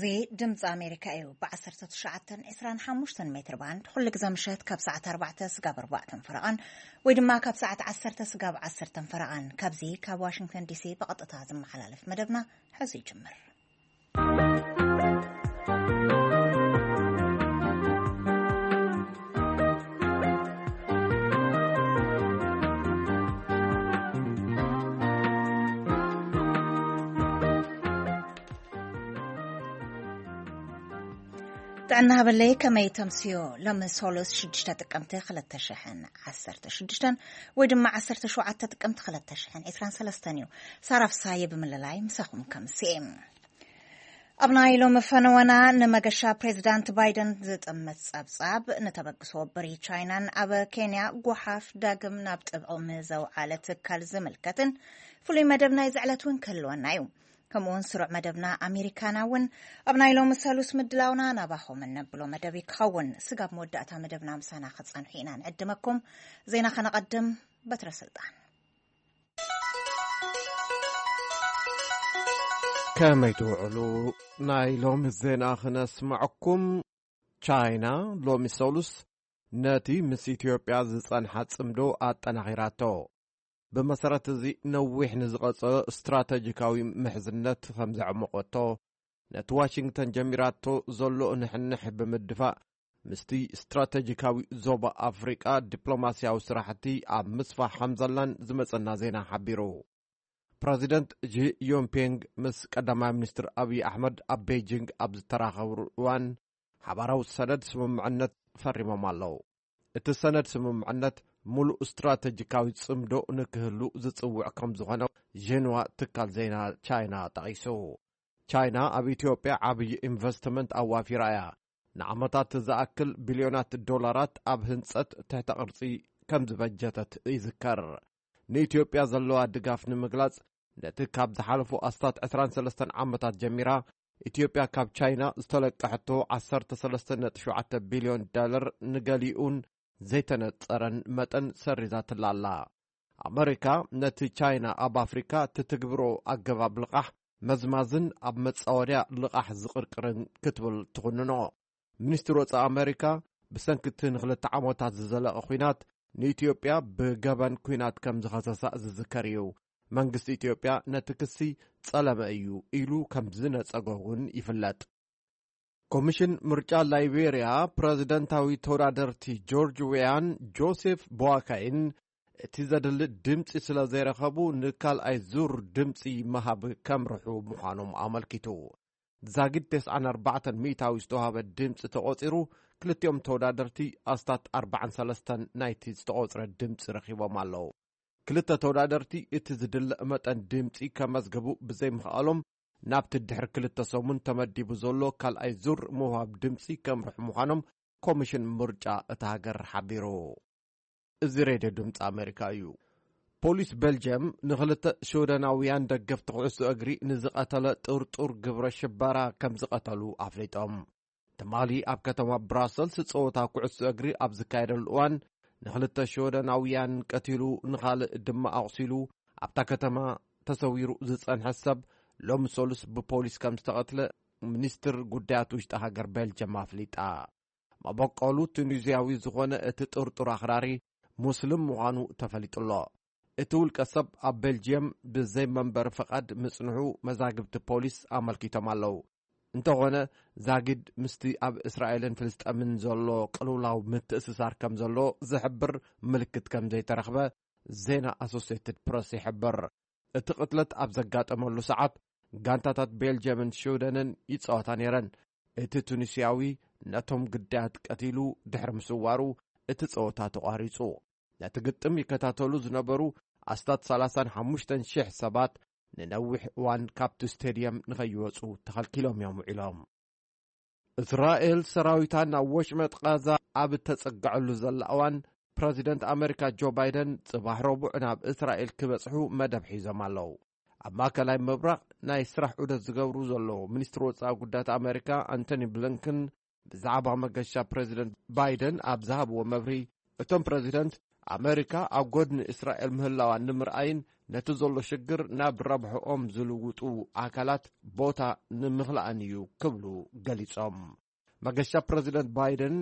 እዚ ድምፂ ኣሜሪካ እዩ። ብ19 25 ሜትር ባንድ ኩሉ ግዜ ምሸት ካብ ሰዓት 4 ስጋብ 4 ፈረቓን ወይ ድማ ካብ ሰዓት 10 ስጋብ 10 ፈረቓን ካብዚ ካብ ዋሽንግተን ዲሲ ብቐጥታ ዝመሓላለፍ መደብና ሕዚ ይጅምር። ጥዕና ሃበለይ፣ ከመይ ተምስዮ? ሎሚ ሶሉስ 6 ጥቅምቲ 2016 ወይ ድማ 17 ጥቅምቲ 2023 እዩ። ሳራ ፍሳየ ብምልላይ ምሳኹም ከምስኤ። ኣብ ናይ ሎሚ ፈነወና፣ ንመገሻ ፕሬዚዳንት ባይደን ዝጥምት ጸብጻብ፣ ንተበግሶ ብሪ ቻይናን ኣብ ኬንያ ጓሓፍ ዳግም ናብ ጥቕሚ ዘውዓለ ትካል ዝምልከትን ፍሉይ መደብ ናይዚ ዕለት እውን ክህልወና እዩ። ከምኡውን ስሩዕ መደብና ኣሜሪካና እውን ኣብ ናይ ሎሚ ሰሉስ ምድላውና ናባኹም እነብሎ መደብ እዩ ክኸውን። ስጋብ መወዳእታ መደብና ምሳና ክጸንሑ ኢና ንዕድመኩም። ዜና ከነቐድም። በትረ ስልጣን። ከመይ ትውዕሉ? ናይ ሎሚ ዜና ክነስምዐኩም። ቻይና ሎሚ ሰሉስ ነቲ ምስ ኢትዮጵያ ዝጸንሓ ጽምዶ ኣጠናኺራቶ። ብመሰረት እዚ ነዊሕ ንዝቐጸሎ ስትራተጂካዊ ምሕዝነት ከም ዘዕመቖቶ፣ ነቲ ዋሽንግተን ጀሚራቶ ዘሎ ንሕንሕ ብምድፋእ፣ ምስቲ ስትራተጂካዊ ዞባ ኣፍሪቃ ዲፕሎማስያዊ ስራሕቲ ኣብ ምስፋሕ ከም ዘላን ዝመጸና ዜና ሓቢሩ። ፕረዚደንት ጂ ዮንፒንግ ምስ ቀዳማይ ሚኒስትር ኣብይ ኣሕመድ ኣብ ቤጂንግ ኣብ ዝተራኸብሉ እዋን፣ ሓባራዊ ሰነድ ስምምዕነት ፈሪሞም ኣለዉ። እቲ ሰነድ ስምምዕነት፣ ምሉእ ስትራተጂካዊ ጽምዶ ንክህሉ ዝጽውዕ ከም ዝኾነ ዤንዋ ትካል ዜና ቻይና ጠቒሱ። ቻይና ኣብ ኢትዮጵያ ዓብዪ ኢንቨስትመንት ኣዋፊራ እያ። ንዓመታት ዝኣክል ቢልዮናት ዶላራት ኣብ ህንጸት ትሕተ ቅርጺ ከም ዝበጀተት ይዝከር። ንኢትዮጵያ ዘለዋ ድጋፍ ንምግላጽ፣ ነቲ ካብ ዝሓለፉ ኣስታት 23 ዓመታት ጀሚራ ኢትዮጵያ ካብ ቻይና ዝተለቀሐቶ 13.7 ቢልዮን ዶላር ንገሊኡን ዘይተነጸረን መጠን ሰሪዛትላ ኣላ። ኣመሪካ ነቲ ቻይና ኣብ ኣፍሪካ ትትግብሮ ኣገባብ ልቓሕ መዝማዝን ኣብ መጻወድያ ልቓሕ ዝቕርቅርን ክትብል ትኹንኖ። ሚኒስትር ወጻኢ ኣመሪካ፣ ብሰንኪ እቲ ንክልተ ዓመታት ዝዘለቐ ኲናት፣ ንኢትዮጵያ ብገበን ኲናት ከም ዝኸሰሳ ዝዝከር እዩ። መንግስቲ ኢትዮጵያ ነቲ ክሲ ጸለመ እዩ ኢሉ ከም ዝነጸጎ እውን ይፍለጥ። ኮሚሽን ምርጫ ላይቤርያ፣ ፕረዚደንታዊ ተወዳደርቲ ጆርጅ ዌያን ጆሴፍ ቦዋካይን እቲ ዘድሊ ድምፂ ስለ ዘይረኸቡ፣ ንካልኣይ ዙር ድምፂ ምሃብ ከምርሑ ምዃኖም ኣመልኪቱ። ዛጊድ 94% ዝተዋህበ ድምፂ ተቖፂሩ፣ ክልቲኦም ተወዳደርቲ ኣስታት 43 ናይቲ ዝተቖፅረ ድምፂ ረኺቦም ኣለዉ። ክልተ ተወዳደርቲ እቲ ዝድለ መጠን ድምፂ ከመዝግቡ ብዘይምኽኣሎም፣ ናብቲ ድሕሪ ክልተ ሰሙን ተመዲቡ ዘሎ ካልኣይ ዙር ምውሃብ ድምፂ ከምርሑ ምዃኖም ኮሚሽን ምርጫ እታ ሃገር ሓቢሩ። እዚ ሬድዮ ድምፂ ኣሜሪካ እዩ። ፖሊስ ቤልጅየም ንኽልተ ሽወደናውያን ደገፍቲ ኩዕሶ እግሪ ንዝቐተለ ጥርጡር ግብረ ሽበራ ከም ዝቐተሉ ኣፍሊጦም። ትማሊ ኣብ ከተማ ብራሰልስ ጸወታ ኩዕሶ እግሪ ኣብ ዝካየደሉ እዋን፣ ንኽልተ ሽወደናውያን ቀቲሉ፣ ንኻልእ ድማ ኣቑሲሉ፣ ኣብታ ከተማ ተሰዊሩ ዝጸንሐ ሰብ፣ ሎሚ ሰሉስ ብፖሊስ ከም ዝተቐትለ ሚኒስትር ጉዳያት ውሽጢ ሃገር ቤልጅየም ኣፍሊጣ። መበቆሉ ቱኒዝያዊ ዝኾነ እቲ ጥርጡር ኣኽራሪ ሙስሊም ምዃኑ ተፈሊጡ ኣሎ። እቲ ውልቀ ሰብ ኣብ ቤልጅየም ብዘይ መንበሪ ፍቓድ ምጽንሑ መዛግብቲ ፖሊስ ኣመልኪቶም ኣለዉ። እንተኾነ፣ ዛጊድ ምስቲ ኣብ እስራኤልን ፍልስጠምን ዘሎ ቅልውላው ምትእስሳር ከም ዘሎ ዝሕብር ምልክት ከም ዘይተረኽበ ዜና ኣሶሴትድ ፕረስ ይሕብር። እቲ ቅትለት ኣብ ዘጋጠመሉ ሰዓት፣ ጋንታታት ቤልጅየምን ሽውደንን ይጻወታ ነይረን። እቲ ቱኒስያዊ ነቶም ግዳያት ቀቲሉ ድሕሪ ምስዋሩ፣ እቲ ጸወታ ተቋሪጹ። ነቲ ግጥም ይከታተሉ ዝነበሩ ኣስታት 35,000 ሰባት ንነዊሕ እዋን ካብቲ ስቴድየም ንኸይወጹ ተኸልኪሎም እዮም ውዒሎም። እስራኤል ሰራዊታ ናብ ወሽመጥ ቃዛ ኣብ እተጸግዐሉ ዘላ እዋን፣ ፕረዚደንት ኣመሪካ ጆ ባይደን ጽባሕ ረቡዕ ናብ እስራኤል ክበጽሑ መደብ ሒዞም ኣለዉ። ኣብ ማእከላይ ምብራቕ ናይ ስራሕ ዑደት ዝገብሩ ዘለዉ ሚኒስትር ወጻኢ ጉዳያት ኣመሪካ ኣንቶኒ ብሊንከን፣ ብዛዕባ መገሻ ፕረዚደንት ባይደን ኣብ ዝሃብዎ መብርሂ፣ እቶም ፕረዚደንት ኣመሪካ ኣብ ጎድኒ እስራኤል ምህላዋ ንምርኣይን ነቲ ዘሎ ሽግር ናብ ረብሕኦም ዝልውጡ ኣካላት ቦታ ንምኽላእን እዩ ክብሉ ገሊጾም። መገሻ ፕረዚደንት ባይደን፣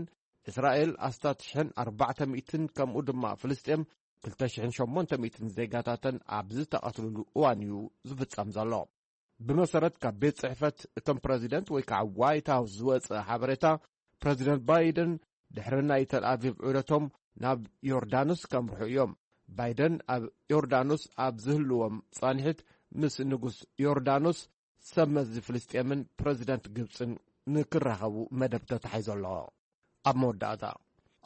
እስራኤል ኣስታት ሽሕን ኣርባዕተ ሚእትን ከምኡ ድማ ፍልስጤም ክልተ ሽሕን ሸሞንተ ሚእትን ዜጋታተን ኣብ ዝተቐትልሉ እዋን እዩ ዝፍጸም ዘሎ። ብመሰረት ካብ ቤት ጽሕፈት እቶም ፕረዚደንት ወይ ከዓ ዋይት ሃውስ ዝወጸ ሓበሬታ፣ ፕረዚደንት ባይደን ድሕሪ ናይ ተልኣቪቭ ዑደቶም ናብ ዮርዳኖስ ከምርሑ እዮም። ባይደን ኣብ ዮርዳኖስ ኣብ ዝህልዎም ጻንሒት ምስ ንጉስ ዮርዳኖስ፣ ሰብ መዚ ፍልስጤምን ፕረዚደንት ግብጽን ንክራኸቡ መደብ ተታሒዙ ኣሎ። ኣብ መወዳእታ፣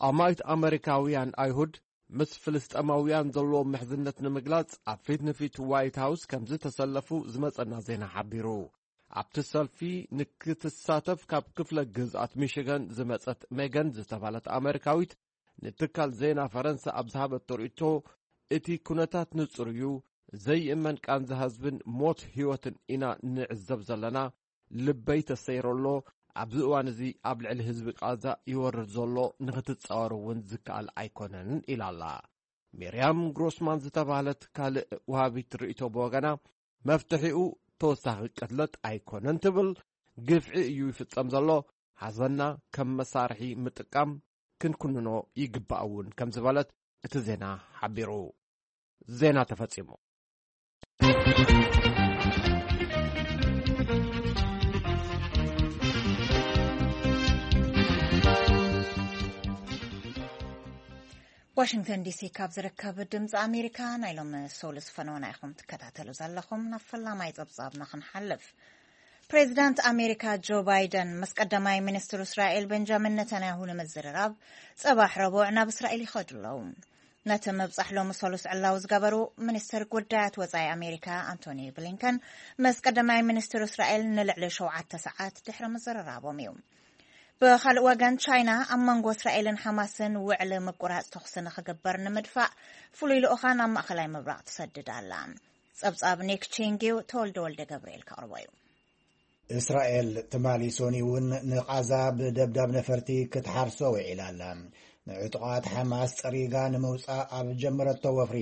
ኣማኢት ኣመሪካውያን ኣይሁድ ምስ ፍልስጤማውያን ዘለዎም ምሕዝነት ንምግላጽ ኣብ ፊት ንፊት ዋይት ሃውስ ከም ዝተሰለፉ ዝመጸና ዜና ሓቢሩ። ኣብቲ ሰልፊ ንክትሳተፍ ካብ ክፍለ ግዝኣት ሚሽጋን ዝመጸት ሜገን ዝተባህለት ኣመሪካዊት ንትካል ዜና ፈረንሳ ኣብ ዝሃበቶ ርእይቶ፣ እቲ ኩነታት ንጹር እዩ፣ ዘይእመን ቃንዛ ህዝብን ሞት ህይወትን ኢና ንዕዘብ ዘለና፣ ልበይ ተሰይሩ ኣሎ፣ ኣብዚ እዋን እዚ ኣብ ልዕሊ ህዝቢ ቃዛ ይወርድ ዘሎ ንክትጻወር እውን ዝከኣል ኣይኮነን ኢላ ኣላ። ሚርያም ግሮስማን ዝተባህለት ካልእ ወሃቢት ርእይቶ ብወገና፣ መፍትሒኡ ተወሳኺ ቅትለት ኣይኮነን ትብል፣ ግፍዒ እዩ ይፍጸም ዘሎ፣ ሓዘንና ከም መሳርሒ ምጥቃም ክንኩንኖ ይግባእ እውን ከም ዝበለት እቲ ዜና ሓቢሩ። ዜና ተፈጺሙ። ዋሽንግተን ዲሲ ካብ ዝርከብ ድምፂ ኣሜሪካ ናይ ሎሚ ሶሉስ ፈነወና ኢኹም ትከታተሉ ዘለኹም። ናብ ፈላማይ ፀብፃብና ክንሓልፍ። ፕሬዚዳንት ኣሜሪካ ጆ ባይደን ምስ ቀዳማይ ሚኒስትር እስራኤል ቤንጃሚን ነታንያሁ ንምዝርራብ ፅባሕ ረቡዕ ናብ እስራኤል ይኸዱ ኣለዉ። ነቲ ምብፃሕ ሎሚ ሶሉስ ዕላዊ ዝገበሩ ሚኒስትር ጉዳያት ወፃኢ ኣሜሪካ ኣንቶኒ ብሊንከን ምስ ቀዳማይ ሚኒስትር እስራኤል ንልዕሊ ሸውዓተ ሰዓት ድሕሪ ምዝርራቦም እዩ። ብኻልእ ወገን፣ ቻይና ኣብ መንጎ እስራኤልን ሓማስን ውዕሊ ምቁራጽ ተኹሲ ንኽግበር ንምድፋእ ፍሉይ ልኡኻ ናብ ማእኸላይ ምብራቕ ትሰድድ ኣላ። ጸብጻብ ኒክ ቺንግ እዩ፣ ተወልደ ወልደ ገብርኤል ከቕርቦ እዩ። እስራኤል ትማሊ ሶኒ እውን ንቓዛ ብደብዳብ ነፈርቲ ክትሓርሶ ውዒላ ኣላ። ንዕጡቓት ሓማስ ጸሪጋ ንምውጻእ ኣብ ጀመረቶ ወፍሪ፣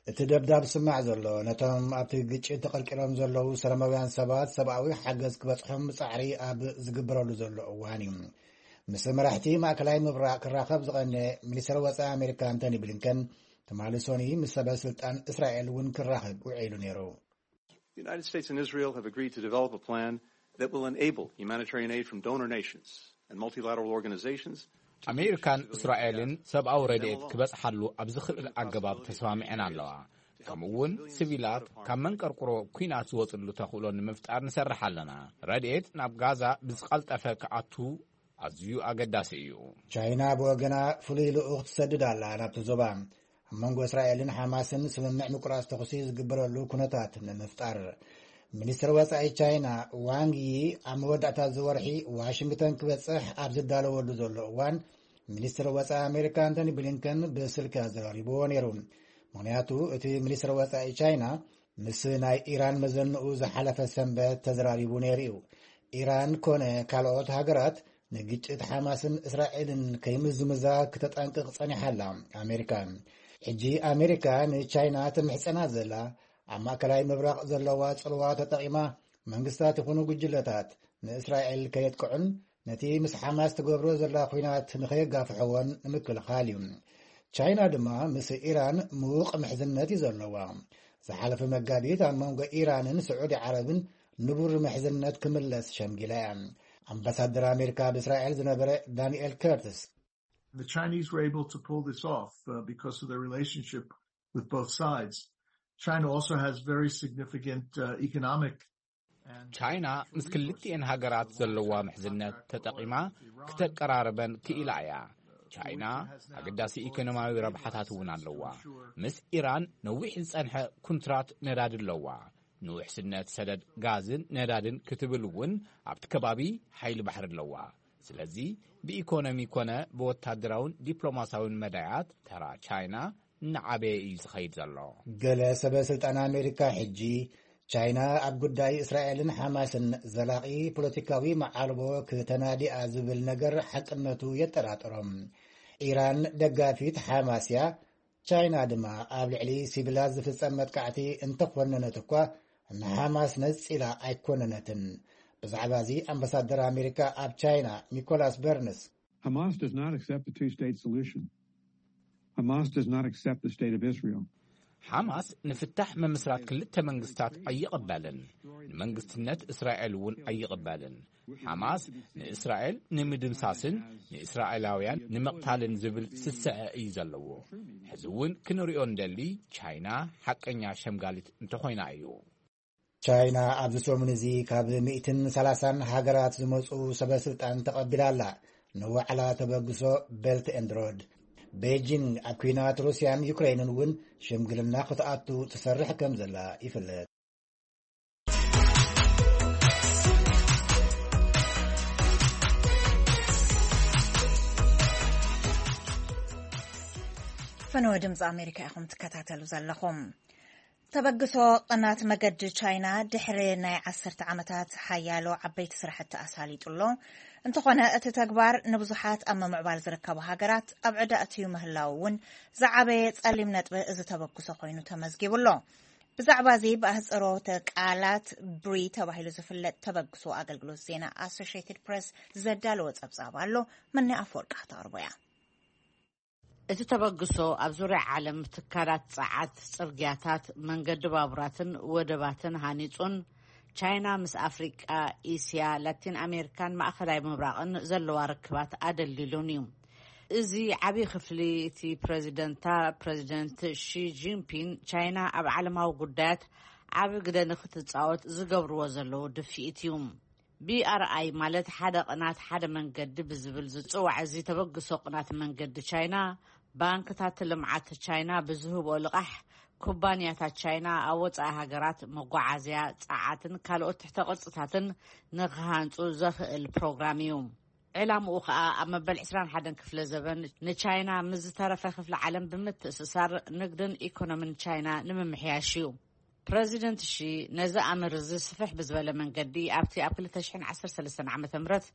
እቲ ደብዳብ ዝስማዕ ዘሎ፣ ነቶም ኣብቲ ግጭት ተቐርቂሮም ዘለዉ ሰላማውያን ሰባት ሰብኣዊ ሓገዝ ክበጽሖም ጻዕሪ ኣብ ዝግበረሉ ዘሎ እዋን እዩ። ምስ መራሕቲ ማእከላይ ምብራቕ ክራኸብ ዝቐነ ሚኒስትር ወጻኢ ኣሜሪካ ኣንቶኒ ብሊንከን፣ ትማሊ ሶኒ ምስ ሰበ ስልጣን እስራኤል እውን ክራኸብ ውዒሉ ነይሩ። The United States and Israel have agreed to develop a plan that will enable humanitarian aid from donor nations and multilateral organizations. ኣሜሪካን እስራኤልን ሰብኣዊ ረድኤት ክበጽሓሉ ኣብ ዝኽእል ኣገባብ ተስማሚዐን ኣለዋ። ከምኡ እውን፣ ሲቪላት ካብ መንቀርቁሮ ኲናት ዝወጽሉ ተኽእሎ ንምፍጣር ንሰርሕ ኣለና። ረድኤት ናብ ጋዛ ብዝቐልጠፈ ክኣቱ ኣዝዩ ኣገዳሲ እዩ። ቻይና ብወገና ፍሉይ ልኡኽ ትሰድድ ኣላ ናብቲ ዞባ፣ ኣብ መንጎ እስራኤልን ሓማስን ስምምዕ ምቁራጽ ተኹሲ ዝግበረሉ ኩነታት ንምፍጣር። ሚኒስትር ወጻኢ ቻይና ዋንግ ዪ ኣብ መወዳእታ እዚ ወርሒ ዋሽንግተን ክበጽሕ ኣብ ዝዳለወሉ ዘሎ እዋን፣ ሚኒስትር ወጻኢ ኣሜሪካ ኣንቶኒ ብሊንከን ብስልኪ ኣዘራሪብዎ ነይሩ። ምኽንያቱ፣ እቲ ሚኒስትር ወጻኢ ቻይና ምስ ናይ ኢራን መዘንኡ ዝሓለፈ ሰንበት ተዘራሪቡ ነይሩ እዩ። ኢራን ኮነ ካልኦት ሃገራት ንግጭት ሓማስን እስራኤልን ከይምዝምዛ ክተጠንቅቕ ጸኒሓ ኣላ። ኣሜሪካ፣ ሕጂ ኣሜሪካ ንቻይና ትምሕጸና ዘላ፣ ኣብ ማእከላይ ምብራቕ ዘለዋ ጽልዋ ተጠቒማ መንግስታት ይኹኑ ጉጅለታት ንእስራኤል ከየጥቅዑን ነቲ ምስ ሓማስ ትገብሮ ዘላ ኲናት ንኸየጋፍሕዎን ንምክልኻል እዩ። ቻይና ድማ ምስ ኢራን ምዉቕ ምሕዝነት እዩ ዘለዋ። ዝሓለፈ መጋቢት ኣብ መንጎ ኢራንን ስዑዲ ዓረብን ንቡር ምሕዝነት ክምለስ ሸምጊላ እያ። ኣምባሳደር ኣሜሪካ ኣብ እስራኤል ዝነበረ ዳንኤል ከርትስ፣ The Chinese were able to pull this off uh, because of their relationship with both sides. China also has very significant uh, economic and ቻይና ምስ ክልቲኤን ሃገራት ዘለዋ ምሕዝነት ተጠቒማ ክተቀራርበን ክኢላ እያ። ቻይና ኣገዳሲ ኢኮኖሚያዊ ረብሓታት እውን ኣለዋ። ምስ ኢራን ነዊሕ ዝጸንሐ ኩንትራት ነዳዲ ኣለዋ። ንውሕስነት ሰደድ ጋዝን ነዳድን ክትብል እውን ኣብቲ ከባቢ ሓይሊ ባሕሪ ኣለዋ። ስለዚ ብኢኮኖሚ ኮነ ብወታደራውን ዲፕሎማሲያውን መዳያት ተራ ቻይና እናዓበየ እዩ ዝኸይድ ዘሎ። ገለ ሰበ ስልጣን ኣሜሪካ ሕጂ ቻይና ኣብ ጉዳይ እስራኤልን ሓማስን ዘላቒ ፖለቲካዊ መዓልቦ ክተናዲኣ ዝብል ነገር ሓቅነቱ የጠራጥሮም። ኢራን ደጋፊት ሓማስ እያ፣ ቻይና ድማ ኣብ ልዕሊ ሲቪላት ዝፍጸም መጥቃዕቲ እንተኾነነት እኳ፣ ንሓማስ ነጺላ ኣይኮነነትን። ብዛዕባ እዚ ኣምባሳደር ኣሜሪካ ኣብ ቻይና ኒኮላስ በርንስ፣ Hamas does not accept the two-state solution. Hamas does not accept the state of Israel. ሓማስ ንፍታሕ ምምስራት ክልተ መንግስታት ኣይቕበልን። ንመንግስትነት እስራኤል እውን ኣይቕበልን። ሓማስ ንእስራኤል ንምድምሳስን ንእስራኤላውያን ንምቕታልን ዝብል ስስዐ እዩ ዘለዎ። ሕዚ እውን ክንሪኦ እንደሊ፣ ቻይና ሓቀኛ ሸምጋሊት እንተኾይና እዩ። ቻይና ኣብዚ ሰሙን እዚ ካብ ሚእትን ሰላሳን ሃገራት ዝመፁ ሰበ ስልጣን ተቐቢላ ኣላ። ንዋዕላ ተበግሶ ቤልት ኤንድ ሮድ። ቤጂንግ ኣብ ኲናት ሩስያን ዩክሬንን እውን ሽምግልና ክትኣቱ ትሰርሕ ከም ዘላ ይፍለጥ። ፈነወ ድምፂ ኣሜሪካ ኢኹም ትከታተሉ ዘለኹም። ተበግሶ ቅናት መገዲ ቻይና ድሕሪ ናይ ዓሰርተ ዓመታት ሓያሎ ዓበይቲ ስራሕቲ ኣሳሊጡ ኣሎ። እንተኾነ እቲ ተግባር ንብዙሓት ኣብ ምምዕባል ዝርከቡ ሃገራት ኣብ ዕዳ ኣትዩ ምህላው እውን ዝዓበየ ጸሊም ነጥቢ እዚ ተበግሶ ኮይኑ ተመዝጊቡ ኣሎ። ብዛዕባ እዚ ብኣህጽሮተ ቃላት ብሪ ተባሂሉ ዝፍለጥ ተበግሶ ኣገልግሎት ዜና ኣሶሽትድ ፕሬስ ዘዳለወ ጸብጻብ ኣሎ። መኒ ኣፈወርቂ ክተቕርቦ እያ። እቲ ተበግሶ ኣብ ዙርያ ዓለም ትካላት ጸዓት፣ ጽርግያታት፣ መንገዲ ባቡራትን ወደባትን ሃኒጹን ቻይና ምስ ኣፍሪቃ፣ እስያ፣ ላቲን ኣሜሪካን ማእኸላይ ምብራቕን ዘለዋ ርክባት ኣደልዲሉን እዩ። እዚ ዓብዪ ክፍሊ እቲ ፕረዚደንታ ፕረዚደንት ሺ ጂንፒን ቻይና ኣብ ዓለማዊ ጉዳያት ዓቢ ግደ ንክትጻወት ዝገብርዎ ዘለዉ ድፍኢት እዩ። ቢኣርኣይ ማለት ሓደ ቅናት ሓደ መንገዲ ብዝብል ዝጽዋዕ እዚ ተበግሶ ቅናት መንገዲ ቻይና፣ ባንክታት ልምዓት ቻይና ብዝህብኦ ልቓሕ ኩባንያታት ቻይና ኣብ ወጻኢ ሃገራት መጓዓዝያ፣ ጸዓትን ካልኦት ትሕተ ቅርጽታትን ንክሃንጹ ዘኽእል ፕሮግራም እዩ። ዕላምኡ ከኣ ኣብ መበል ዕስራን ሓደን ክፍለ ዘበን ንቻይና ምስ ዝተረፈ ክፍሊ ዓለም ብምትእስሳር ንግድን ኢኮኖምን ቻይና ንምምሕያሽ እዩ። ፕረዚደንት ሺ ነዚ ኣምር እዚ ስፍሕ ብዝበለ መንገዲ ኣብቲ ኣብ ክልተ ሽሕን ዓሰርተ ሰለስተን ዓመተ ምህረት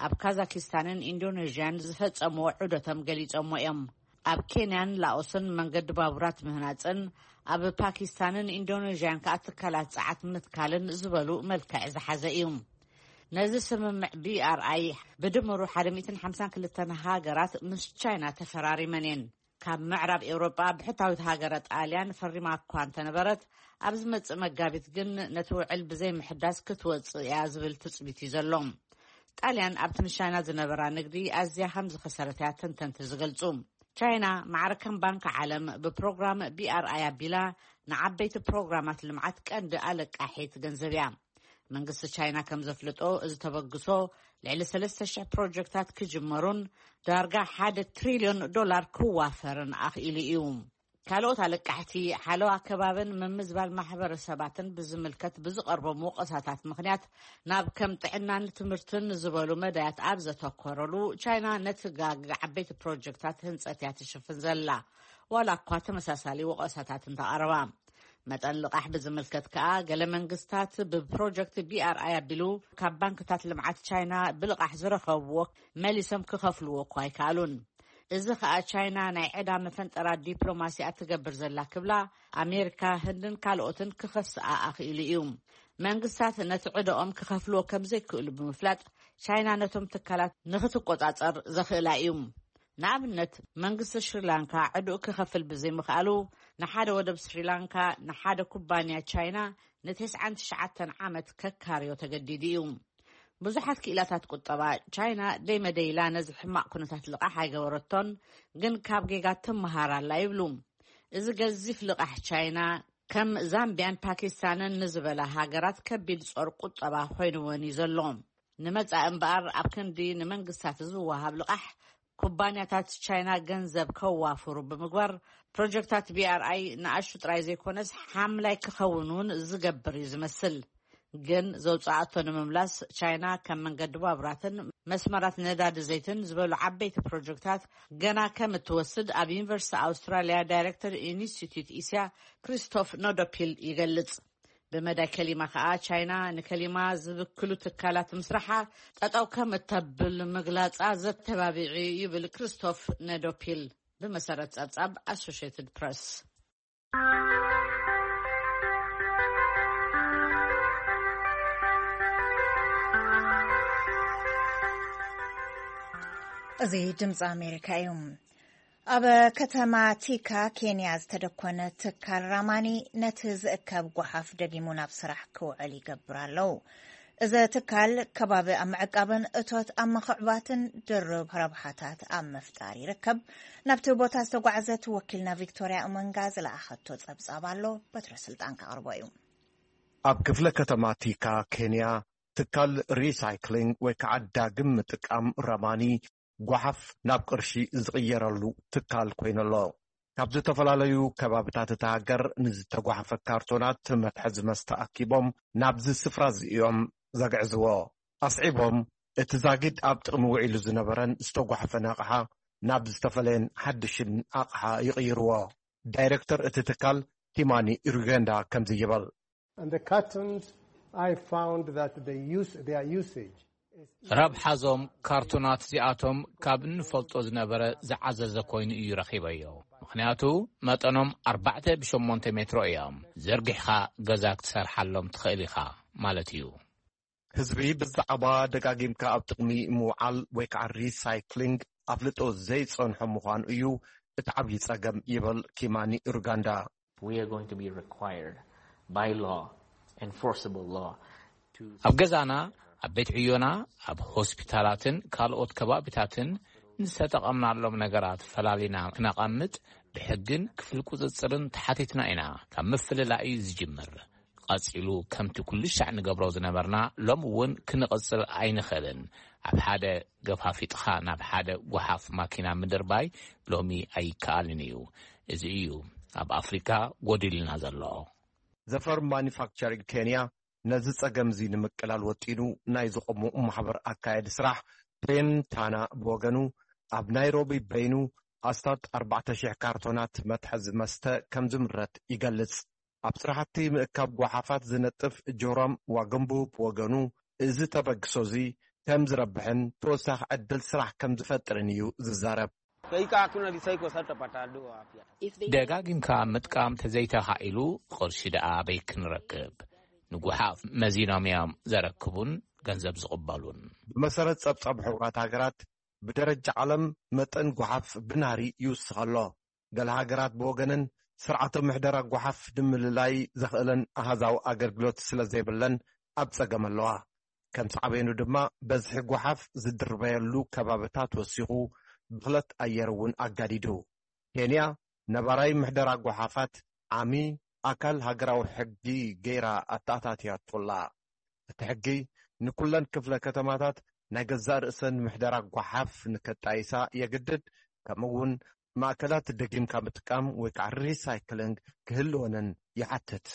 ኣብ ካዛኪስታንን ኢንዶኔዥያን ዝፈጸምዎ ዑደቶም ገሊጾሞ እዮም። ኣብ ኬንያን ላኦስን መንገዲ ባቡራት ምህናጽን ኣብ ፓኪስታንን ኢንዶኔዥያን ከኣ ትካላት ጸዓት ምትካልን ዝበሉ መልክዕ ዝሓዘ እዩ። ነዚ ስምምዕ ቢኣርኣይ ብድምሩ ሓደ ሚእትን ሓምሳን ክልተን ሃገራት ምስ ቻይና ተፈራሪመን እየን። ካብ ምዕራብ ኤውሮጳ ብሕታዊት ሃገረ ጣልያን ፈሪማ እኳ እንተነበረት፣ ኣብ ዝመጽእ መጋቢት ግን ነቲ ውዕል ብዘይ ምሕዳስ ክትወጽእ እያ ዝብል ትጽቢት እዩ ዘሎ። ጣልያን ኣብቲ ንቻይና ዝነበራ ንግዲ ኣዝያ ከም ዝኸሰረት እያ ተንተንቲ ዝገልጹ። ቻይና ማዕረ ከም ባንክ ዓለም ብፕሮግራም ቢኣርኣይ ኣቢላ ንዓበይቲ ፕሮግራማት ልምዓት ቀንዲ ኣለቃሒት ገንዘብ እያ። መንግስቲ ቻይና ከም ዘፍልጦ፣ እዚ ተበግሶ ልዕሊ ሰለስተ ሽሕ ፕሮጀክታት ክጅመሩን ዳርጋ ሓደ ትሪልዮን ዶላር ክዋፈርን ኣኽኢሉ እዩ። ካልኦት ኣለቃሕቲ ሓለዋ ከባብን ምምዝባል ማሕበረሰባትን ብዝምልከት ብዝቐርቦም ወቐሳታት ምኽንያት፣ ናብ ከም ጥዕናን ትምህርትን ዝበሉ መዳያት ኣብ ዘተኮረሉ፣ ቻይና ነቲ ጋግ ዓበይቲ ፕሮጀክታት ህንጸት እያ ትሽፍን ዘላ፣ ዋላ እኳ ተመሳሳሊ ወቐሳታት እንተቐረባ። መጠን ልቓሕ ብዝምልከት ከኣ፣ ገለ መንግስታት ብፕሮጀክት ቢኣርኣይ ኣቢሉ ካብ ባንክታት ልምዓት ቻይና ብልቓሕ ዝረኸብዎ መሊሶም ክኸፍልዎ እኳ ኣይከኣሉን። እዚ ከኣ ቻይና ናይ ዕዳ መፈንጠራ ዲፕሎማሲ እያ ትገብር ዘላ ክብላ ኣሜሪካ፣ ህንድን ካልኦትን ክኸስኣ ኣኽኢሉ እዩ። መንግስታት ነቲ ዕዳኦም ክኸፍልዎ ከም ዘይክእሉ ብምፍላጥ፣ ቻይና ነቶም ትካላት ንኽትቆጻጸር ዘኽእላ እዩ። ንኣብነት፣ መንግስቲ ሽሪላንካ ዕዳኡ ክኸፍል ብዘይምኽኣሉ፣ ንሓደ ወደብ ስሪላንካ ንሓደ ኩባንያ ቻይና ንተስዓን ትሽዓተን ዓመት ከካርዮ ተገዲዱ እዩ። ብዙሓት ክኢላታት ቁጠባ፣ ቻይና ደይመደይላ ነዚ ሕማቕ ኩነታት ልቓሕ ኣይገበረቶን፣ ግን ካብ ጌጋ ትመሃር ኣላ ይብሉ። እዚ ገዚፍ ልቓሕ ቻይና፣ ከም ዛምቢያን ፓኪስታንን ንዝበላ ሃገራት ከቢድ ጾር ቁጠባ ኮይንወን እዩ ዘሎ። ንመጻኢ እምበኣር፣ ኣብ ክንዲ ንመንግስታት ዝወሃብ ልቓሕ፣ ኩባንያታት ቻይና ገንዘብ ከዋፍሩ ብምግባር፣ ፕሮጀክታት ቢኣርኣይ ንኣሽቱ ጥራይ ዘይኮነስ፣ ሓምላይ ክኸውን እውን ዝገብር እዩ ዝመስል። ግን ዘውጽኣቶ ንምምላስ፣ ቻይና ከም መንገዲ ባቡራትን መስመራት ነዳዲ ዘይትን ዝበሉ ዓበይቲ ፕሮጀክታት ገና ከም እትወስድ ኣብ ዩኒቨርሲቲ ኣውስትራልያ ዳይሬክተር ኢንስቲትዩት እስያ ክሪስቶፍ ኖዶፒል ይገልጽ። ብመዳይ ከሊማ ከኣ፣ ቻይና ንከሊማ ዝብክሉ ትካላት ምስራሓ ጠጠው ከም እተብል ምግላጻ ዘተባብዕ እዩ ይብል ክሪስቶፍ ነዶፒል። ብመሰረት ጸብጻብ ኣሶሽየትድ ፕረስ። እዚ ድምፂ ኣሜሪካ እዩ። ኣብ ከተማ ቲካ ኬንያ ዝተደኮነ ትካል ራማኒ ነቲ ዝእከብ ጓሓፍ ደጊሙ ናብ ስራሕ ክውዕል ይገብር ኣለዉ። እዚ ትካል ከባቢ ኣብ ምዕቃብን እቶት ኣብ ምኽዕባትን ድርብ ረብሓታት ኣብ ምፍጣር ይርከብ። ናብቲ ቦታ ዝተጓዕዘት ወኪልና ቪክቶርያ እመንጋ ዝለኣኸቶ ጸብጻብ ኣሎ። በትረ ስልጣን ከቕርቦ እዩ። ኣብ ክፍለ ከተማ ቲካ ኬንያ ትካል ሪሳይክሊንግ ወይ ከዓ ዳግም ምጥቃም ረማኒ ጓሓፍ ናብ ቅርሺ ዝቕየረሉ ትካል ኮይኑሎ። ካብ ዝተፈላለዩ ከባብታት እታ ሃገር ንዝተጓሓፈ ካርቶናት መትሐዚ መስተ ኣኪቦም ናብዚ ስፍራ እዚ እዮም ዘግዕዝዎ። ኣስዒቦም፣ እቲ ዛጊድ ኣብ ጥቕሚ ውዒሉ ዝነበረን ዝተጓሓፈን ኣቕሓ ናብ ዝተፈለየን ሓድሽን ኣቕሓ ይቕይርዎ። ዳይሬክተር እቲ ትካል ቲማኒ ሩገንዳ ከምዚ ይበል። And the cartons, I found that they use, their usage is ረብሓዞም ካርቶናት እዚኣቶም ካብ እንፈልጦ ዝነበረ ዝዓዘዘ ኮይኑ እዩ ረኺበዮ። ምኽንያቱ መጠኖም ኣርባዕተ ብሸሞንተ ሜትሮ እዮም። ዘርጊሕኻ ገዛ ክትሰርሓሎም ትኽእል ኢኻ ማለት እዩ። ህዝቢ ብዛዕባ ደጋጊምካ ኣብ ጥቕሚ ምውዓል ወይ ከዓ ሪሳይክሊንግ ኣፍልጦ ዘይጸንሖ ምዃኑ እዩ እቲ ዓብዪ ጸገም ይብል ኪማኒ ሩጋንዳ። We are going to be required by law, enforceable law, to ኣብ ገዛና፣ ኣብ ቤት ዕዮና፣ ኣብ ሆስፒታላትን ካልኦት ከባቢታትን ንዝተጠቐምናሎም ነገራት ፈላሊና ክነቐምጥ ብሕግን ክፍሊ ቁፅፅርን ተሓቲትና ኢና። ካብ ምፍልላይ እዩ ዝጅምር። ቀፂሉ ከምቲ ኩሉ ሻዕ ንገብሮ ዝነበርና ሎም እውን ክንቕፅል ኣይንኽእልን። ኣብ ሓደ ገፋፊጥኻ ናብ ሓደ ጓሓፍ ማኪና ምድርባይ ሎሚ ኣይከኣልን እዩ። እዚ እዩ ኣብ ኣፍሪካ ጎዲልና ዘሎ። ዘፈር ማኒፋክቸሪንግ ኬንያ ነዚ ጸገም እዚ ንምቅላል ወጢኑ ናይ ዝቖሙ ማሕበር ኣካየዲ ስራሕ ፔን ታና ብወገኑ፣ ኣብ ናይሮቢ በይኑ ኣስታት ኣርባዕተ ሽሕ ካርቶናት መትሐዚ መስተ ከም ዝምረት ይገልጽ። ኣብ ስራሕቲ ምእካብ ጓሓፋት ዝነጥፍ ጆሮም ዋገምቡ ብወገኑ፣ እዚ ተበግሶ እዚ ከም ዝረብሕን ተወሳኺ ዕድል ስራሕ ከም ዝፈጥርን እዩ ዝዛረብ። ደጋጊምካ ምጥቃም ተዘይተኻኢሉ፣ ቅርሺ ደኣ ኣበይ ክንረክብ? ንጉሓፍ መዚኖም እዮም ዘረክቡን ገንዘብ ዝቕበሉን። ብመሰረት ጸብጻብ ሕቡራት ሃገራት፣ ብደረጃ ዓለም መጠን ጓሓፍ ብናህሪ ይውስኽ ኣሎ። ገለ ሃገራት ብወገነን ስርዓተ ምሕደራ ጓሓፍ ንምልላይ ዘኽእለን ኣሃዛዊ ኣገልግሎት ስለ ዘይብለን ኣብ ጸገም ኣለዋ። ከም ሳዕቤኑ ድማ በዝሒ ጓሓፍ ዝድርበየሉ ከባብታት ወሲኹ፣ ብኽለት ኣየር እውን ኣጋዲዱ። ኬንያ ነባራይ ምሕደራ ጓሓፋት ዓሚ ኣካል ሃገራዊ ሕጊ ገይራ ኣተኣታትያቶ ኣላ። እቲ ሕጊ ንኩለን ክፍለ ከተማታት ናይ ገዛእ ርእሰን ምሕደራ ጓሓፍ ንከጣይሳ የግድድ፣ ከምኡ እውን ማእከላት ደጊምካ ምጥቃም ወይ ከዓ ሪሳይክሊንግ ክህልወነን ይሓትት።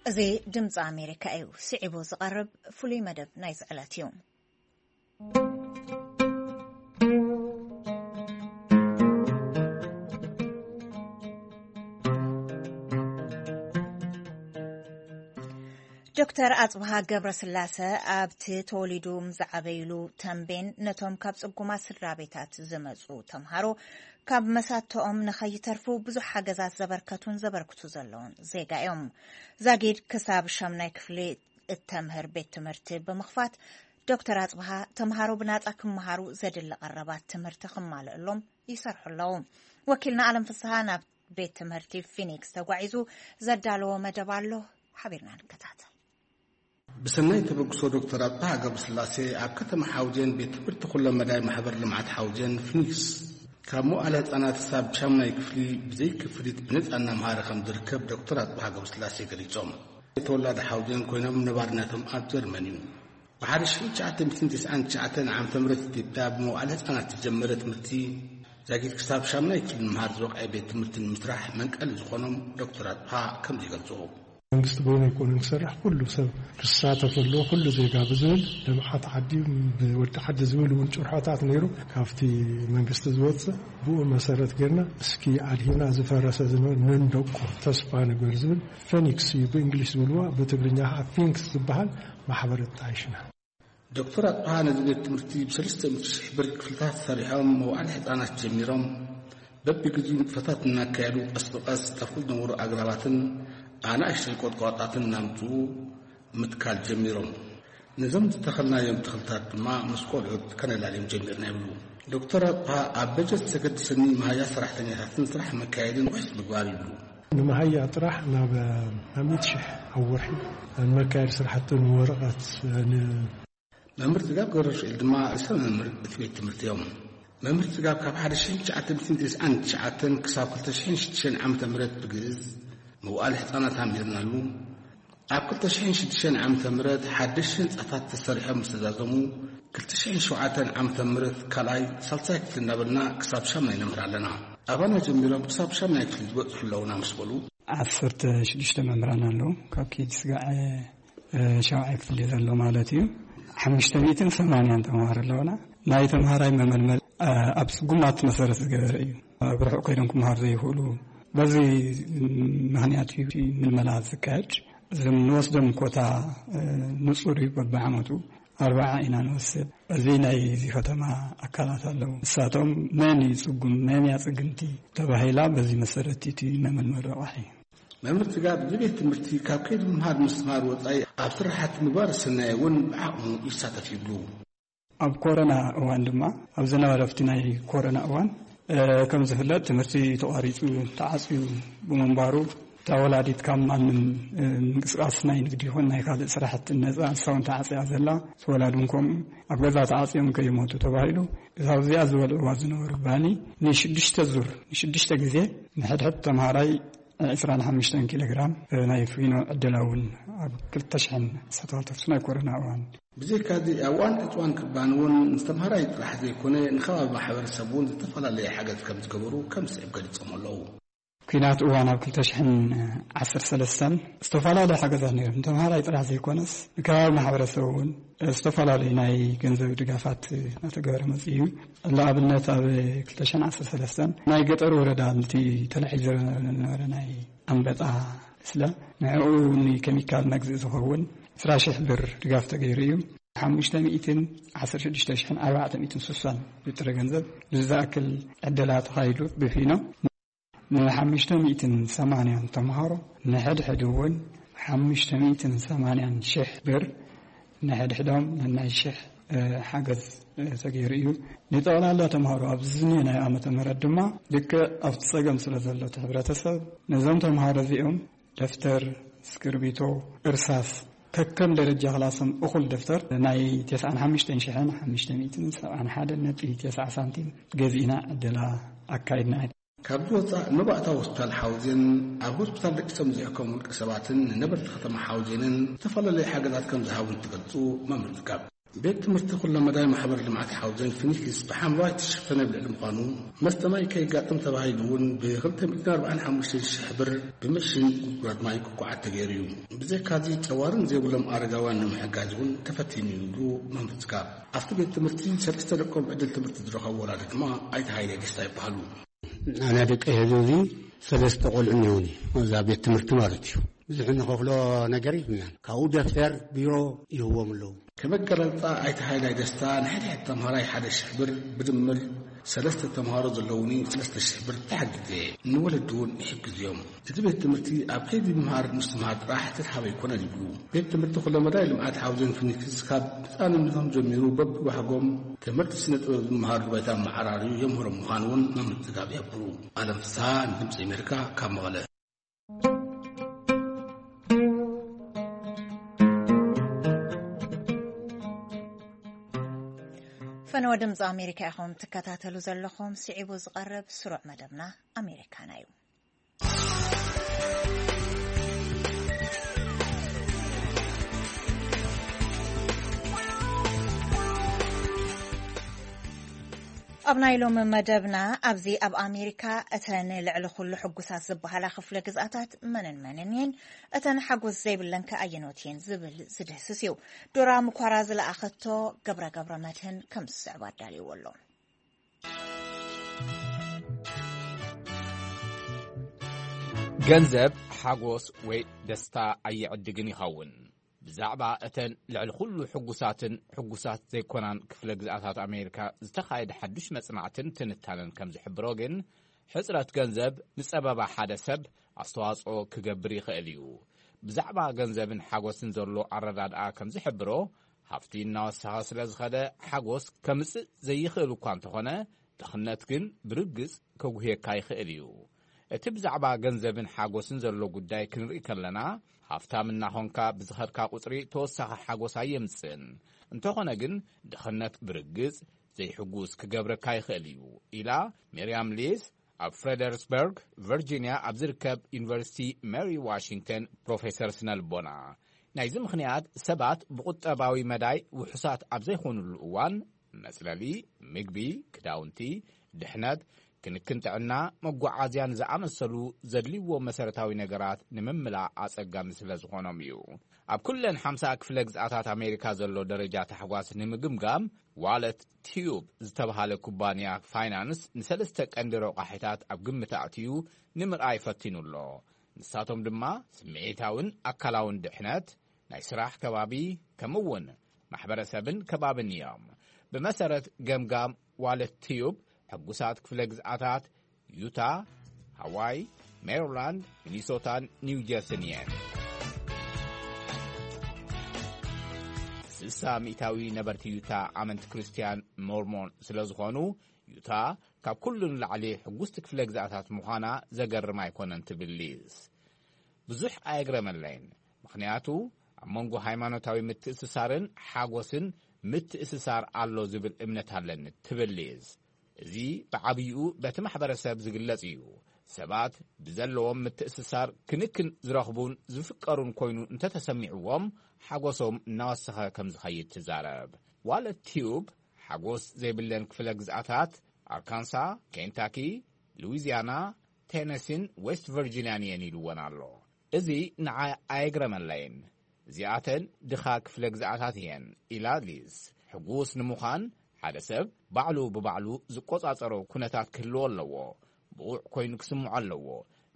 እዚ ድምፂ ኣሜሪካ እዩ። ስዒቡ ዝቐርብ ፍሉይ መደብ ናይዚ ዕለት እዩ። ዶክተር ኣጽብሃ ገብረስላሰ ኣብቲ ተወሊዱ ዝዓበይሉ ተምቤን ነቶም ካብ ጽጉማት ስድራ ቤታት ዝመጹ ተምሃሮ ካብ መሳተኦም ንኸይተርፉ ብዙሕ ሓገዛት ዘበርከቱን ዘበርክቱ ዘለውን ዜጋ እዮም። ዛጊድ ክሳብ ሻምናይ ክፍሊ እተምህር ቤት ትምህርቲ ብምኽፋት፣ ዶክተር ኣጽብሃ ተምሃሮ ብናጻ ክመሃሩ ዘድሊ ቀረባት ትምህርቲ ክማልእሎም ይሰርሑ ኣለዉ። ወኪልና ኣለም ፍስሃ ናብ ቤት ትምህርቲ ፊኒክስ ተጓዒዙ ዘዳለዎ መደብ ኣሎ፣ ሓቢርና ንከታተል። ብሰናይ ተበግሶ ዶክተር ኣጽብሃ ገብረስላሴ ኣብ ከተማ ሓውዜን ቤት ትምህርቲ ኩለ መዳይ ማሕበር ልምዓት ሓውዜን ፊኒክስ ካብ መዋእለ ህጻናት ክሳብ ሻምናይ ክፍሊ ብዘይ ክፍሊት ብነጻ እናምሃረ ከም ዝርከብ ዶክተር ኣጽብሃ ገብረስላሴ ገሊጾም። ተወላዲ ሓውዜን ኮይኖም ነባርነቶም ኣብ ጀርመን እዩ። ብሓደ ሽሕን ትሽዓተ ሚእትን ተስዓን ትሽዓተን ዓመተ ምህረት ኢትዮጵያ ብመዋእለ ህጻናት ዝጀመረ ትምህርቲ ዛጊድ ክሳብ ሻምናይ ክፍሊ ንምሃር ዝበቕዐ ቤት ትምህርቲ ንምስራሕ መንቀሊ ዝኾኖም ዶክተር ኣጽብሃ ከምዚ ይገልጹ። መንግስቲ በይኑ ኣይኮነን ክሰርሕ፣ ኩሉ ሰብ ክሳተፍ ኣለዎ፣ ኩሉ ዜጋ ብዝብል ልምዓት ዓዲ ብወዲ ዓዲ ዝብል እውን ጭርሖታት ነይሩ። ካብቲ መንግስቲ ዝወፅእ ብኡ መሰረት ጌርና እስኪ ኣድሂና ዝፈረሰ ዝነበረ ነንደቆ ተስፋ ንግበር ዝብል ፌኒክስ እዩ ብእንግሊሽ ዝብልዋ፣ ብትግርኛ ከዓ ፊንክስ ዝበሃል ማሕበር ኣጣይሽና። ዶክተር ኣጥሃ ነዚ ቤት ትምህርቲ ብሰለስተ ሚእቲ ሺሕ ብር ክፍልታት ሰሪሖም መውዓሊ ህፃናት ጀሚሮም በብግዜኡ ንጥፈታት እናካየዱ ቀስ ብቀስ ጠፍኡ ዝነበሩ ኣግራባትን ኣናእሽተይ ቆጥቋጣትን እናምፅኡ ምትካል ጀሚሮም። ነዞም ዝተኸልናዮም ተኽልታት ድማ ምስ ቆልዑት ከነላልዮም ጀሚርና ይብሉ። ዶክተር ኣጥሃ ኣብ በጀት ዘገድሰኒ መሃያ ሰራሕተኛታትን ስራሕ መካየድን ውሕስ ምግባር ይብሉ። ንመሃያ ጥራሕ ናብ ናብ ሚእቲ ሽሕ ኣብ ወርሒ ንመካየዲ ስራሕትን ወረቐት ን መምህር ጽጋብ ገብረስኤል ድማ ርእሰ መምህር እቲ ቤት ትምህርቲ እዮም። መምህር ጽጋብ ካብ ሓደ ሽሕን ትሽዓተ ሚእትን ተስዓን ትሽዓተን ክሳብ ክልተ ሽሕን ሽዱሽተን ዓመተ ምህረት ብግእዝ መዋእለ ህጻናት ኣንቢርናሉ። ኣብ ክልተ ሽሕን ሽዱሽተን ዓመተ ምህረት ሓደሽቲ ህንጻታት ተሰሪሖም ምስ ተዛዘሙ፣ ክልተ ሽሕን ሸውዓተን ዓመተ ምህረት ካልኣይ፣ ሳልሳይ ክፍሊ እናበልና ክሳብ ሻምናይ ነምህር ኣለና። ኣባና ጀሚሮም ክሳብ ሻምናይ ክፍሊ ዝበጽሑ ኣለውና ምስ በሉ፣ ዓሰርተ ሽዱሽተ መምህራን ኣለዉ። ካብ ኬጂ ስጋዕ እ፣ ሻውዓይ ክፍሊ ዘሎ ማለት እዩ። ሓሙሽተ ሚእትን ሰማንያን ተምሃሮ ኣለውና። ናይ ተምሃራይ መመልመል፣ እ፣ ኣብ ስጉማት መሰረት ዝገበረ እዩ። ኣብ ርሑቕ ከይዶም ክምሃሩ ዘይኽእሉ፣ በዚ ምኽንያት እዩ እቲ ምልመላ ዝካየድ። እዞም ንወስዶም ኮታ፣ እ፣ ንጹር እዩ። በብዓመቱ ኣርብዓ ኢና ንወስድ። እዚ ናይ እዚ ከተማ ኣካላት ኣለዉ። ንሳቶም መን እዩ ጽጉም፣ መን እያ ጽግምቲ ተባሂላ፣ በዚ መሰረት እቲ መመልመሊ ረቋሒ። መምህር ጽጋብ፣ እዚ ቤት ትምህርቲ ካብ ከይዲ ምምሃር ምስትምሃር ወጻኢ ኣብ ስራሓት ምግባር ሰናይ እውን ብዓቕሙ ይሳተፍ ይብሉ። ኣብ ኮረና እዋን ድማ፣ ኣብ ዝነበረ ኣብቲ ናይ ኮረና እዋን፣ እ፣ ከም ዝፍለጥ ትምህርቲ ተቋሪጹ፣ ተዓጽዩ ብምንባሩ፣ እታ ወላዲት ካብ ማንም፣ እ፣ ምንቅስቃስ ናይ ንግዲ ይኹን ናይ ካልእ ስራሕቲ ነጻ፣ ንሳ እውን ተዓጽያ ዘላ፣ እቲ ወላዲ እውን ከምኡ፣ ኣብ ገዛ ተዓጽዮም ከይሞቱ ተባሂሉ፣ እታ ኣብዚኣ ዝበልዕዋ ዝነበሩ ባኒ ንሽዱሽተ ዙር፣ ንሽዱሽተ ግዜ ንሕድሕድ ተምሃራይ ዕስራን ሓሙሽተን ኪሎ ግራም ናይ ፊኖ ዕደላ እውን ኣብ ክልተ ሽሕን ዓሰርተ ክልተ ናይ ኮሮና እዋን። ብዘይካዚ ኣብ እዋን ዕፅዋን ክባን እውን ንተምሃራይ ጥራሕ ዘይኮነ ንከባቢ ማሕበረሰብ እውን ዝተፈላለየ ሓገዝ ከም ዝገበሩ ከም ስዕብ ገሊፆም ኣለዉ። ኲናት እዋን ኣብ ክልተ ሽሕን ዓሰርተ ሰለስተን ዝተፈላለዩ ሓገዛት ነይሮም። ንተምሃራይ ጥራሕ ዘይኮነስ ንከባቢ ማሕበረሰብ እውን ዝተፈላለዩ ናይ ገንዘብ ድጋፋት እናተገበረ መፅኡ እዩ። ንኣብነት ኣብ ክልተ ሽሕን ዓሰርተ ሰለስተን ናይ ገጠር ወረዳ ነቲ ተላዒሉ ዝነበረ ናይ ኣንበጣ ስለ ንዕኡ ንኬሚካል መግዝኢ ዝኸውን ዕስራ ሽሕ ብር ድጋፍ ተገይሩ እዩ። ሓሙሽተ ሚእትን ዓሰርተ ሽዱሽተ ሽሕን ኣርባዕተ ሚእትን ስሳን ብጥረ ገንዘብ ዝኣክል ዕደላ ተኻይዱ ብፊኖ ንሓሙሽተ ሚእትን ሰማንያን ተምሃሮ ንሕድሕድ እውን ሓሙሽተ ሚእትን ሰማንያን ሽሕ ብር ንሕድሕዶም ነናይ ሽሕ፣ እ፣ ሓገዝ፣ እ፣ ተገይሩ እዩ። ንጠቕላላ ተምሃሮ ኣብዚ ዝኒሀ ናይ ዓመተ ምህረት ድማ ልክዕ ኣብቲ ጸገም ስለ ዘሎ እቲ ሕብረተሰብ ነዞም ተምሃሮ እዚኦም ደፍተር፣ እስክርቢቶ፣ እርሳስ ከከም ደረጃ ክላሶም እኹል ደፍተር ናይ ተስዓን ሓሙሽተን ሽሕን ሓሙሽተ ሚእትን ሰብዓን ሓደን ነጥቢ ተስዓ ሳንቲም ገዚእና ዕደላ ኣካይድና። ካብዚ ወፃእ መባእታ ሆስፒታል ሓውዜን ኣብ ሆስፒታል ደቂሶም ዝሕከሙ ውልቀ ሰባትን ንነበርቲ ከተማ ሓውዜንን ዝተፈላለዩ ሓገዛት ከም ዝሃቡ እንትገልፁ መምህር ትካብ። ቤት ትምህርቲ ኩለመዳይ ማሕበር ልምዓት ሓውዜን ፊኒክስ ብሓምለዋይ ዝተሸፈነ ኣብ ልዕሊ ምዃኑ መስተ ማይ ከየጋጥም ተባሂሉ እውን ብክልተ ሚእትን ኣርባዓን ሓሙሽተን ሽሕ ብር ብምሽን ጉድጓድ ማይ ክኳዓት ተገይሩ እዩ። ብዘይካዚ ጨዋርን ዘይብሎም ኣረጋውያን ንምሕጋዝ እውን ተፈቲኑ እዩ ይብሉ መምህር ትካብ። ኣብቲ ቤት ትምህርቲ ሰለስተ ደቆም ዕድል ትምህርቲ ዝረኸቡ ወላዲ ድማ ኣይተ ሃይለ ደስታ ይበሃሉ። ኣነ ደቂ ህዝቢ እዚ ሰለስተ ቆልዑ እኒኦኒ፣ እዛ ቤት ትምህርቲ ማለት እዩ። ብዙሕ እንኸፍሎ ነገር የብልናን። ካብኡ ደፍተር፣ ቢሮ ይህዎም ኣለዉ። ከም ኣገላልጻ ኣይተ ሃይላይ ደስታ፣ ንሕድሕድ ተምሃራይ ሓደ ሽሕ ብር፣ ብድምር ሰለስተ ተምሃሮ ዘለዉኒ ሰለስተ ሽሕ ብር ተሓጊዘ። ንወለዲ እውን ይሕግዙ እዮም። እቲ ቤት ትምህርቲ ኣብ ከይዲ ምምሃር ምስትምሃር ጥራሕ ዝተትሓበ ኣይኮነን ይብሉ። ቤት ትምህርቲ ኩለመዳይ ልምዓት ሓውዜን ፊኒክስ ካብ ህፃንነቶም ጀሚሩ በብባህጎም ትምህርቲ ስነ ጥበብ ዝመሃርሉ ባይታ ኣመዓራርዩ የምህሮም ምዃኑ እውን መምህር ጽጋብ ይሕብሩ። ኣለም ፍስሃ ንድምፂ ኣሜሪካ ካብ መቐለ። ፈነወ ድምፂ ኣሜሪካ ኢኹም ትከታተሉ ዘለኹም። ስዒቡ ዝቐርብ ስሩዕ መደብና ኣሜሪካና እዩ። ኣብ ናይ ሎሚ መደብና፣ ኣብዚ ኣብ ኣሜሪካ እተን ልዕሊ ኩሉ ሕጉሳት ዝበሃላ ክፍለ ግዝኣታት መንን መንን እየን? እተን ሓጎስ ዘይብለን ከ ኣየኖት እየን? ዝብል ዝድህስስ እዩ። ዶራ ምኳራ ዝለኣኸቶ ገብረ ገብረ መድህን ከም ዝስዕብ ኣዳልይዎ ኣሎ። ገንዘብ ሓጎስ ወይ ደስታ ኣየዕድግን ይኸውን። ብዛዕባ እተን ልዕሊ ኩሉ ሕጉሳትን ሕጉሳት ዘይኮናን ክፍለ ግዝኣታት ኣሜሪካ ዝተኻየደ ሓዱሽ መጽናዕትን ትንታነን ከም ዝሕብሮ ግን፣ ሕጽረት ገንዘብ ንጸበባ ሓደ ሰብ ኣስተዋጽኦ ክገብር ይኽእል እዩ። ብዛዕባ ገንዘብን ሓጎስን ዘሎ ኣረዳድኣ ከም ዝሕብሮ፣ ሃፍቲ እናወሰኸ ስለ ዝኸደ ሓጎስ ከምጽእ ዘይኽእል እኳ እንተኾነ፣ ድኽነት ግን ብርግጽ ከጉህየካ ይኽእል እዩ። እቲ ብዛዕባ ገንዘብን ሓጎስን ዘሎ ጉዳይ ክንርኢ ከለና፣ ሃፍታም እናኾንካ ብዝኸድካ ቁጽሪ ተወሳኺ ሓጎስ ኣየምጽእን። እንተኾነ ግን፣ ድኽነት ብርግጽ ዘይሕጉስ ክገብረካ ይኽእል እዩ፣ ኢላ ሚርያም ሊዝ፣ ኣብ ፍሬደሪስበርግ ቨርጂንያ ኣብ ዝርከብ ዩኒቨርሲቲ ሜሪ ዋሽንግተን ፕሮፌሰር ስነልቦና። ናይዚ ምኽንያት፣ ሰባት ብቁጠባዊ መዳይ ውሑሳት ኣብ ዘይኮኑሉ እዋን፣ መጽለሊ፣ ምግቢ፣ ክዳውንቲ፣ ድሕነት፣ ክንክን ጥዕና፣ መጓዓዝያን ዝኣመሰሉ ዘድልይዎ መሰረታዊ ነገራት ንምምላእ ኣጸጋሚ ስለ ዝኾኖም እዩ። ኣብ ኩለን ሓምሳ ክፍለ ግዝኣታት ኣሜሪካ ዘሎ ደረጃ ታሕጓስ ንምግምጋም፣ ዋለት ቲዩብ ዝተባህለ ኩባንያ ፋይናንስ ንሰለስተ ቀንዲ ረቋሒታት ኣብ ግምት ኣእትዩ ንምርኣይ ፈቲኑ ኣሎ። ንሳቶም ድማ ስምዒታውን ኣካላውን ድሕነት፣ ናይ ስራሕ ከባቢ፣ ከምኡ እውን ማሕበረሰብን ከባብን እዮም። ብመሰረት ገምጋም ዋለት ቲዩብ፣ ሕጉሳት ክፍለ ግዝኣታት ዩታ፣ ሃዋይ፣ ሜሪላንድ፣ ሚኒሶታን ኒው ጀርስን እየን። ስሳ ሚእታዊ ነበርቲ ዩታ ኣመንቲ ክርስትያን ሞርሞን ስለ ዝኾኑ፣ ዩታ ካብ ኩሉ ንላዕሊ ሕጉስቲ ክፍለ ግዝኣታት ምዃና ዘገርም ኣይኮነን ትብል ሊዝ። ብዙሕ ኣየግረመለይን፣ ምኽንያቱ ኣብ መንጎ ሃይማኖታዊ ምትእስሳርን ሓጎስን ምትእስሳር ኣሎ ዝብል እምነት ኣለኒ ትብል ሊዝ። እዚ ብዓብይኡ በቲ ማሕበረሰብ ዝግለጽ እዩ። ሰባት ብዘለዎም ምትእስሳር ክንክን ዝረኽቡን ዝፍቀሩን ኮይኑ እንተተሰሚዕዎም፣ ሓጎሶም እናወሰኸ ከም ዝኸይድ ትዛረብ። ዋለት ቲዩብ ሓጎስ ዘይብለን ክፍለ ግዝኣታት ኣርካንሳ፣ ኬንታኪ፣ ሉዊዚያና፣ ቴነሲን ዌስት ቨርጂንያን እየን ኢልወን ኣሎ። እዚ ንዓይ ኣየግረመለይን። እዚኣተን ድኻ ክፍለ ግዝኣታት እየን ኢላ ሊዝ። ሕጉስ ንምዃን ሓደ ሰብ ባዕሉ ብባዕሉ ዝቆጻጸሮ ኩነታት ክህልዎ ኣለዎ። ብቑዕ ኮይኑ ክስምዖ ኣለዎ።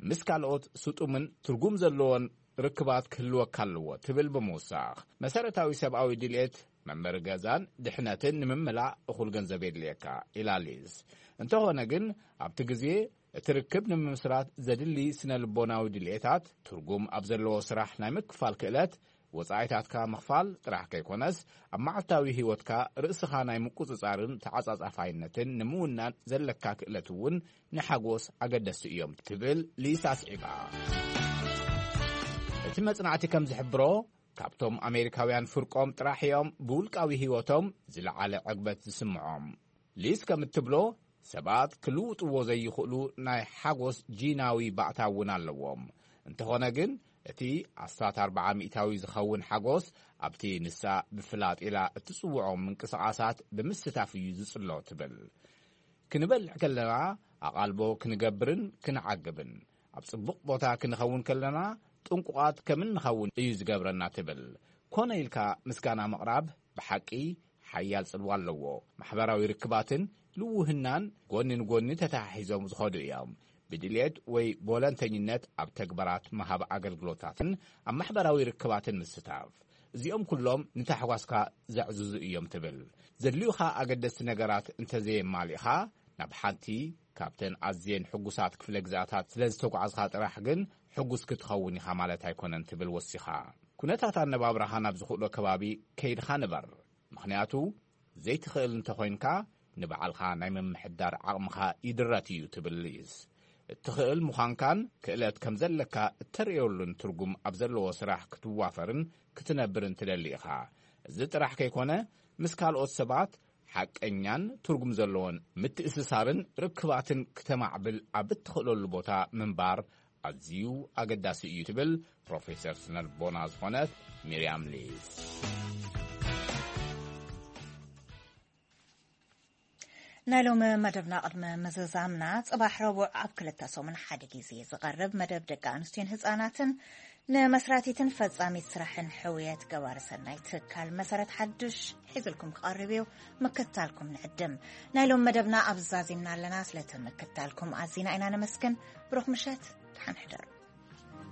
ምስ ካልኦት ስጡምን ትርጉም ዘለዎን ርክባት ክህልወካ ኣለዎ ትብል ብምውሳኽ፣ መሰረታዊ ሰብኣዊ ድልየት መንበሪ ገዛን ድሕነትን ንምምላእ እኹል ገንዘብ የድልየካ ኢላ ሊዝ። እንተኾነ ግን ኣብቲ ግዜ እቲ ርክብ ንምምስራት ዘድሊ ስነ ልቦናዊ ድልየታት፣ ትርጉም ኣብ ዘለዎ ስራሕ ናይ ምክፋል ክእለት፣ ወጻኢታትካ ምኽፋል ጥራሕ ከይኮነስ፣ ኣብ መዓልታዊ ህይወትካ ርእስኻ ናይ ምቁጽጻርን ተዓጻጻፋይነትን ንምውናን ዘለካ ክእለት እውን ንሓጎስ ኣገደስቲ እዮም ትብል ሊዝ ኣስዒባ። እቲ መጽናዕቲ ከም ዝሕብሮ፣ ካብቶም ኣሜሪካውያን ፍርቆም ጥራሕ እዮም ብውልቃዊ ህይወቶም ዝለዓለ ዕግበት ዝስምዖም። ሊዝ ከም እትብሎ፣ ሰባት ክልውጥዎ ዘይኽእሉ ናይ ሓጎስ ጂናዊ ባእታ እውን ኣለዎም። እንተኾነ ግን፣ እቲ ኣስታት ኣርብዓ ሚእታዊ ዝኸውን ሓጎስ ኣብቲ ንሳ ብፍላጥ ኢላ እትጽውዖ ምንቅስቓሳት ብምስታፍ እዩ ዝጽሎ ትብል። ክንበልዕ ከለና ኣቓልቦ ክንገብርን ክንዓግብን፣ ኣብ ጽቡቕ ቦታ ክንኸውን ከለና ጥንቁቓት ከም እንኸውን እዩ ዝገብረና ትብል። ኮነ ኢልካ ምስጋና ምቕራብ ብሓቂ ሓያል ጽልዋ ኣለዎ። ማሕበራዊ ርክባትን ልውህናን ጎኒ ንጎኒ ተተሓሒዞም ዝኸዱ እዮም። ብድልየት ወይ ብወለንተኝነት ኣብ ተግባራት ምሃብ ኣገልግሎታትን ኣብ ማሕበራዊ ርክባትን ምስታፍ፣ እዚኦም ኩሎም ንታሕጓስካ ዘዕዝዙ እዮም ትብል። ዘድልዩኻ ኣገደስቲ ነገራት እንተዘየማሊእኻ፣ ናብ ሓንቲ ካብተን ኣዝየን ሕጉሳት ክፍለ ግዝኣታት ስለ ዝተጓዕዝኻ ጥራሕ ግን ሕጉስ ክትኸውን ኢኻ ማለት ኣይኮነን ትብል ወሲኻ። ኩነታት ኣነባብራኻ ናብ ዝኽእሎ ከባቢ ከይድኻ ንበር። ምኽንያቱ፣ ዘይትኽእል እንተኾይንካ፣ ንባዕልኻ ናይ ምምሕዳር ዓቕምኻ ይድረት እዩ ትብል ሊዝ። እትኽእል ምዃንካን ክእለት ከም ዘለካ እተርእየሉን ትርጉም ኣብ ዘለዎ ስራሕ ክትዋፈርን ክትነብርን ትደሊ ኢኻ። እዚ ጥራሕ ከይኮነ፣ ምስ ካልኦት ሰባት ሓቀኛን ትርጉም ዘለዎን ምትእስሳርን ርክባትን ክተማዕብል ኣብ እትኽእለሉ ቦታ ምንባር ኣዝዩ ኣገዳሲ እዩ ትብል ፕሮፌሰር ስነልቦና ዝኾነት ሚርያም ሊዝ። ናይ ሎሚ መደብና ቅድሚ ምዝዛምና፣ ጽባሕ ረቡዕ ኣብ ክልተ ሰሙን ሓደ ግዜ ዝቐርብ መደብ ደቂ ኣንስትዮን ህጻናትን ንመስራቲትን ፈጻሚት ስራሕን ሕውየት ገባሪ ሰናይ ትካል መሰረት ሓዱሽ ሒዝልኩም ክቐርብ እዩ። ምክታልኩም ንዕድም። ናይ ሎም መደብና ኣብ ዛዚምና ኣለና። ስለቲ ምክታልኩም ኣዚና ኢና ነመስግን። ብሩኽ ምሸት፣ ደሓን ሕደሩ።